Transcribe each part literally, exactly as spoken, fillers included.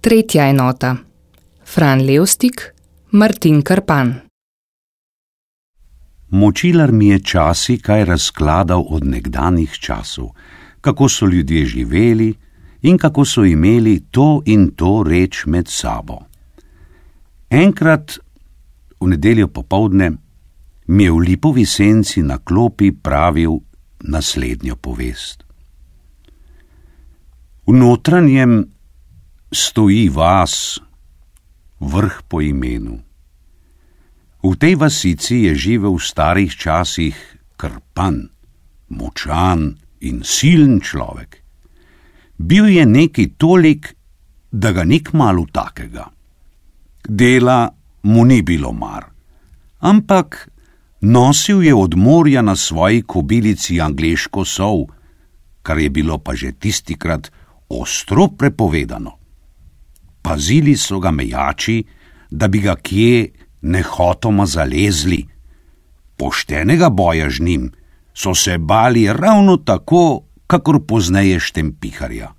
Tretja enota. Fran Levstik, Martin Krpan. Močilar mi je časi kaj razkladal od nekdanjih časov, kako so ljudje živeli in kako so imeli to in to reč med sabo. Enkrat v nedeljo popoldne mi je v lipovi senci na klopi pravil naslednjo povest. V notranjem stoji vas, vrh po imenu. V tej vasici je živel v starih časih Krpan, močan in silen človek. Bil je neki tolik, da ga ni kmalu takega. Dela mu ni bilo mar, ampak nosil je od morja na svoji kobilici angleško sol, kar je bilo pa že tistikrat ostro prepovedano. Pazili so ga mejači, da bi ga kje nehotoma zalezli. Poštenega boja z njim so se bali ravno tako, kakor pozneje štempiharja.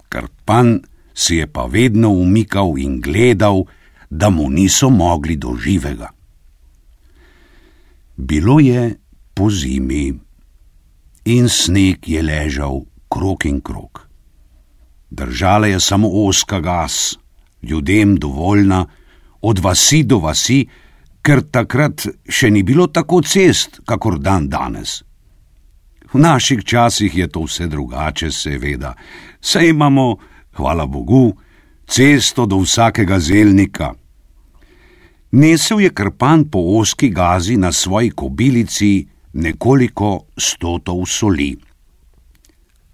Krpan si je pa vedno umikal in gledal, da mu niso mogli do živega. Bilo je po zimi in sneg je ležal krog in krog. Držala je samo ozka gas, ljudem dovoljna, od vasi do vasi, ker takrat še ni bilo tako cest, kakor dan danes. V naših časih je to vse drugače, seveda. Saj imamo, hvala Bogu, cesto do vsakega zelnika. Nesel je Krpan po ozki gazi na svoji kobilici nekoliko stotov soli,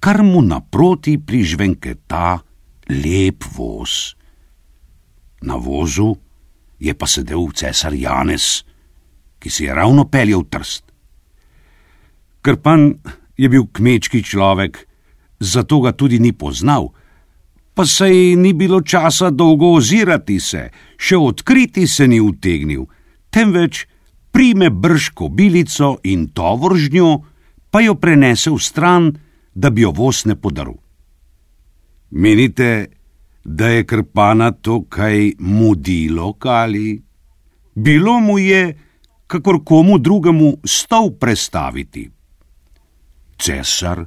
kar mu naproti prižvenketa lep voz. Na vozu je pa sedel cesar Janez, ki si je ravno peljal Trst. Krpan je bil kmečki človek, zato ga tudi ni poznal, pa saj ni bilo časa dolgo ozirati se, še odkriti se ni utegnil, temveč prime brž kobilico in tovor z njo, pa jo prenese v stran, da bi jo voz ne podaril. Menite, da je Krpana to kaj mudilo, kali? Bilo mu je, kakor komu drugemu, stol prestaviti. Cesar,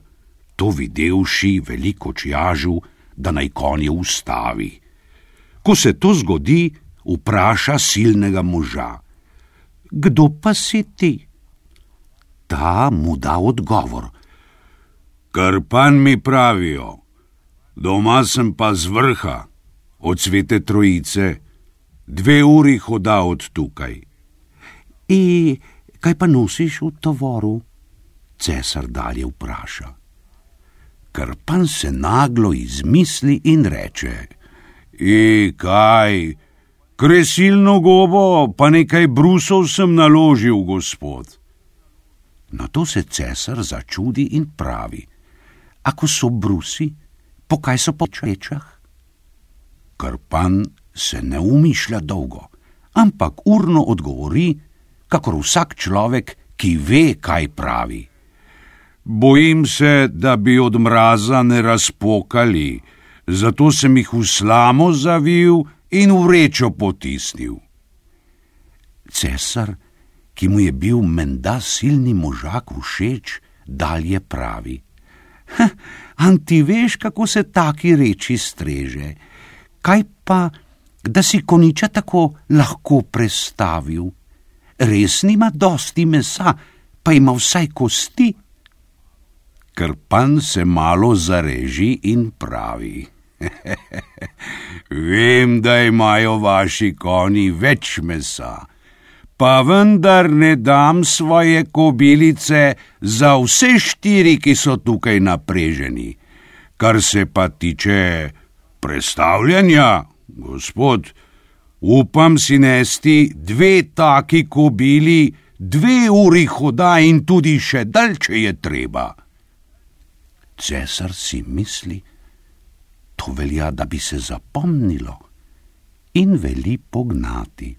to videvši, veliko čjažu, da naj konje ustavi. Ko se to zgodi, vpraša silnega moža: Kdo pa si ti? Ta mu da odgovor: Krpan mi pravijo, doma sem pa z vrha, od Svete Trojice, dve uri hoda od tukaj. I kaj pa nosiš v tovoru? Cesar dalje vpraša. Krpan se naglo izmisli in reče: I kaj, kresilno gobo, pa nekaj brusov sem naložil, gospod. Na to se cesar začudi in pravi: Ako so brusi, po kaj so po čečah? Krpan se ne umišlja dolgo, ampak urno odgovori, kakor vsak človek, ki ve, kaj pravi. Bojim se, da bi od mraza ne razpokali, zato sem jih v slamo zavil in v vrečo potisnil. Cesar, ki mu je bil menda silni možak všeč, dalje pravi: An ti veš, kako se taki reči streže? Kaj pa, da si koniča tako lahko prestavil? Res nima dosti mesa, pa ima vsaj kosti. Krpan se malo zareži in pravi: Vem, da imajo vaši konji več mesa, pa vendar ne dam svoje kobilice za vse štiri, ki so tukaj napreženi. Kar se pa tiče prestavljanja, gospod, upam si nesti dve taki kobili, dve uri hoda in tudi še dalj, če je treba. Cesar si misli, to velja, da bi se zapomnilo, in veli pognati.